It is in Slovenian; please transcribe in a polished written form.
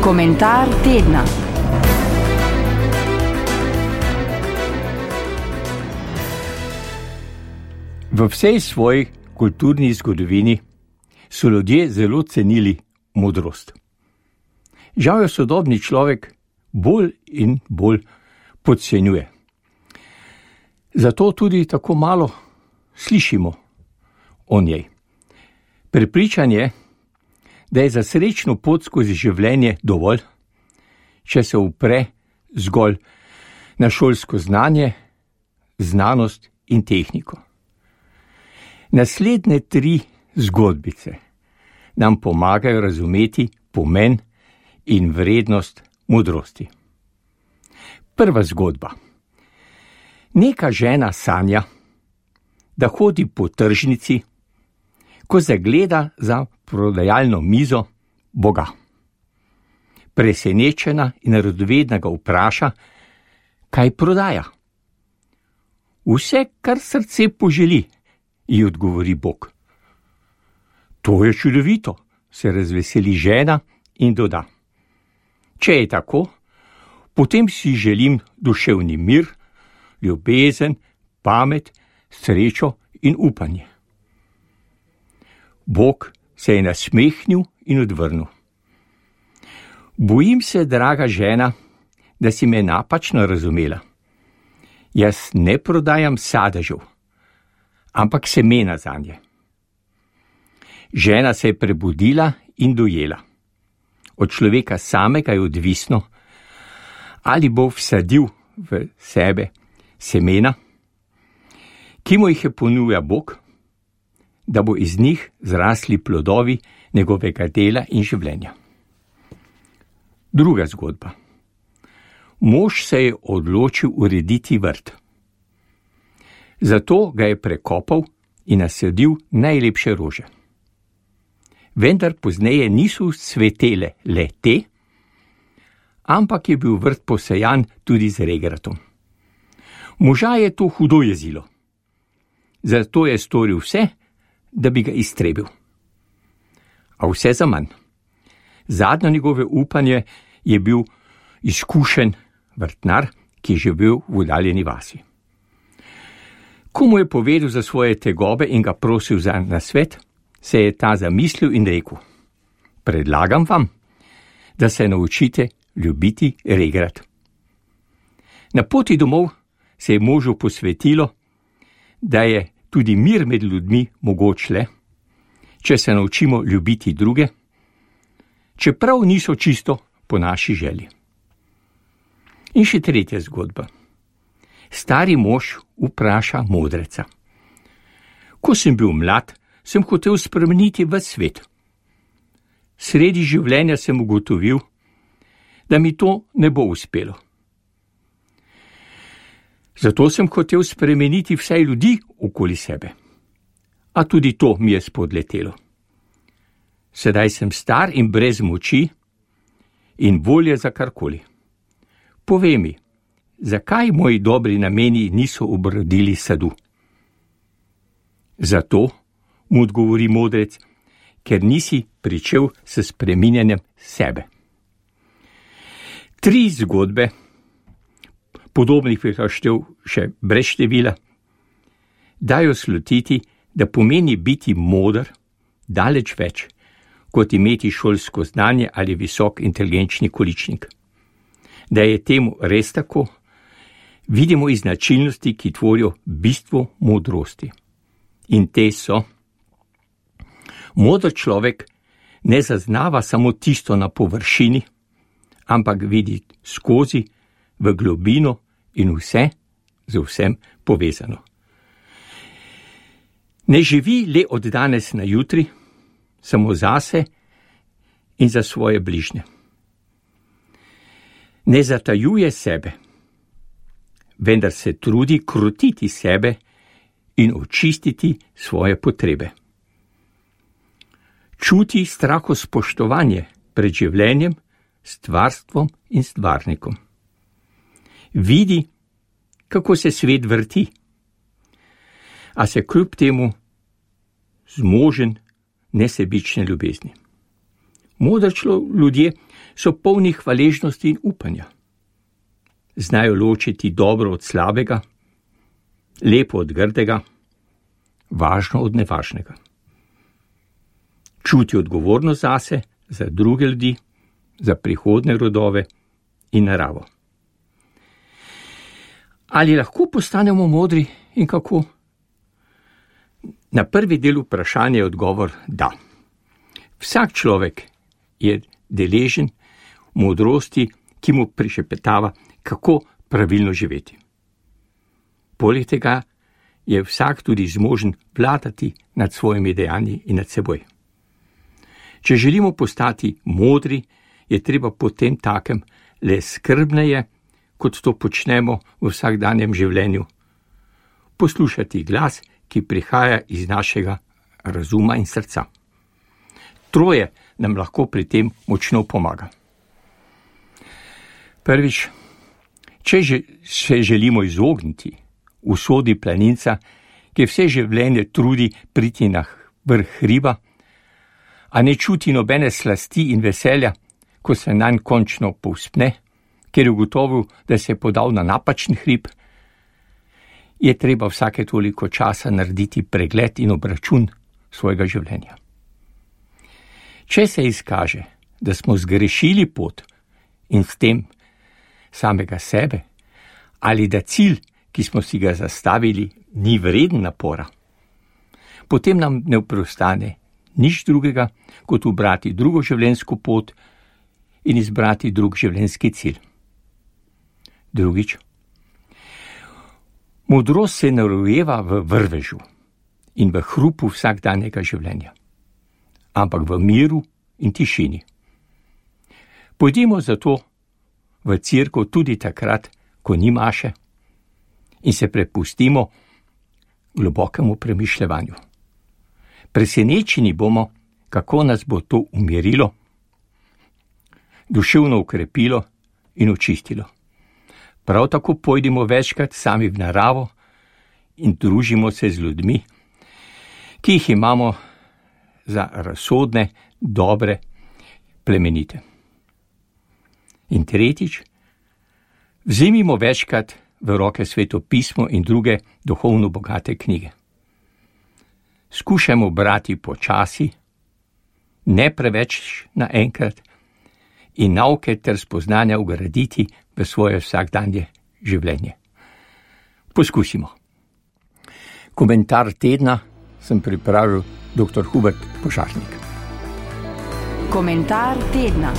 Komentar tedna. V vsej svoji kulturni zgodovini so ljudje zelo cenili modrost. Žal jo sodobni človek bolj in bolj podcenjuje. Zato tudi tako malo slišimo o njej. Prepričan je, da je za srečno pot skozi življenje dovolj, če se upre zgolj na šolsko znanje, znanost in tehniko. Naslednje 3 zgodbice nam pomagajo razumeti pomen in vrednost modrosti. Prva zgodba. Neka žena sanja, da hodi po tržnici, ko zagleda za prodajalno mizo Boga. Presenečena in radovedna ga vpraša, kaj prodaja. Vse, kar srce poželi, ji odgovori Bog. To je čudovito, se razveseli žena in doda. Če je tako, potem si želim duševni mir, ljubezen, pamet, srečo in upanje. Bog se je nasmehnil in odvrnil. Bojim se, draga žena, da si me napačno razumela. Jaz ne prodajam sadežev, ampak semena zanje. Žena se je prebudila in dojela. Od človeka samega je odvisno, ali bo vsadil v sebe semena, ki mu jih je ponujal Bog, da bo iz njih zrasli plodovi njegovega dela in življenja. Druga zgodba. Mož se je odločil urediti vrt. Zato ga je prekopal in nasadil najlepše rože. Vendar pozneje niso cvetele le te, ampak je bil vrt posejan tudi z regratom. Moža je to hudo jezilo. Zato je storil vse, da bi ga iztrebil. A vse zaman. Zadnjo njegove upanje je bil izkušen vrtnar, ki je živel v oddaljeni vasi. Ko mu je povedal za svoje tegobe in ga prosil za nasvet, se je ta zamislil in rekel: predlagam vam, da se naučite ljubiti regrat. Na poti domov se je možu posvetilo, da je tudi mir med ljudmi mogoč le, če se naučimo ljubiti druge, čeprav niso čisto po naši želji. In še tretja zgodba. Stari mož vpraša modreca. Ko sem bil mlad, sem hotel spremeniti ves svet. Sredi življenja sem ugotovil, da mi to ne bo uspelo. Zato sem hotel spremeniti vsaj ljudi okoli sebe. A tudi to mi je spodletelo. Sedaj sem star in brez moči in volje za karkoli. Povej mi, zakaj moji dobri nameni niso obrodili sadu? Zato, mu odgovori modrec, ker nisi pričel s spreminjanjem sebe. 3 zgodbe, podobnih bi štel še brez števila, dajo slutiti, da pomeni biti moder daleč več, kot imeti šolsko znanje ali visok inteligenčni količnik. Da je temu res tako, vidimo iz značilnosti, ki tvorijo bistvo modrosti. In te so: moder človek ne zaznava samo tisto na površini, ampak vidi skozi, v globino in vse z vsem povezano. Ne živi le od danes na jutri, samo zase in za svoje bližnje. Ne zatajuje sebe, vendar se trudi krotiti sebe in očistiti svoje potrebe. Čuti strahospoštovanje pred življenjem, stvarstvom in stvarnikom. Vidi, kako se svet vrti, a se kljub temu zmožen nesebične ljubezni. Modri ljudje so polni hvaležnosti in upanja. Znajo ločiti dobro od slabega, lepo od grdega, važno od nevažnega. Čuti odgovornost zase, za druge ljudi, za prihodne rodove in naravo. Ali lahko postanemo modri in kako? Na prvi del vprašanja je odgovor da. Vsak človek je deležen modrosti, ki mu prišepetava, kako pravilno živeti. Poleg tega je vsak tudi zmožen vladati nad svojimi dejanji in nad seboj. Če želimo postati modri, je treba potem takem le skrbneje, kot to počnemo v vsakdanjem življenju, poslušati glas, ki prihaja iz našega razuma in srca. Troje nam lahko pri tem močno pomaga. Prvič, če se želimo izogniti usodi planinca, ki vse življenje trudi priti na vrh hriba, a ne čuti nobene slasti in veselja, ko se nanj končno povzpne, ker je ugotovil, da se je podal na napačen hrib, je treba vsake toliko časa narediti pregled in obračun svojega življenja. Če se izkaže, da smo zgrešili pot in s tem samega sebe, ali da cilj, ki smo si ga zastavili, ni vreden napora, potem nam ne preostane nič drugega, kot ubrati drugo življenjsko pot in izbrati drug življenjski cilj. Drugič, modrost se ne rojeva v vrvežu in v hrupu vsakdanjega življenja, ampak v miru in tišini. Pojdimo zato v cerkev tudi takrat, ko ni maše, in se prepustimo globokemu premišljevanju. Presenečeni bomo, kako nas bo to umirilo, duševno ukrepilo in očistilo. Prav tako pojdimo večkrat sami v naravo in družimo se z ljudmi, ki jih imamo za razsodne, dobre, plemenite. In tretjič, vzemimo večkrat v roke Sveto pismo in druge duhovno bogate knjige. Skušajmo brati počasi, ne preveč naenkrat, in nauke ter spoznanja vgraditi v svoje vsakdanje življenje. Poskusimo. Komentar tedna sem pripravil dr. Hubert Požarnik. Komentar tedna.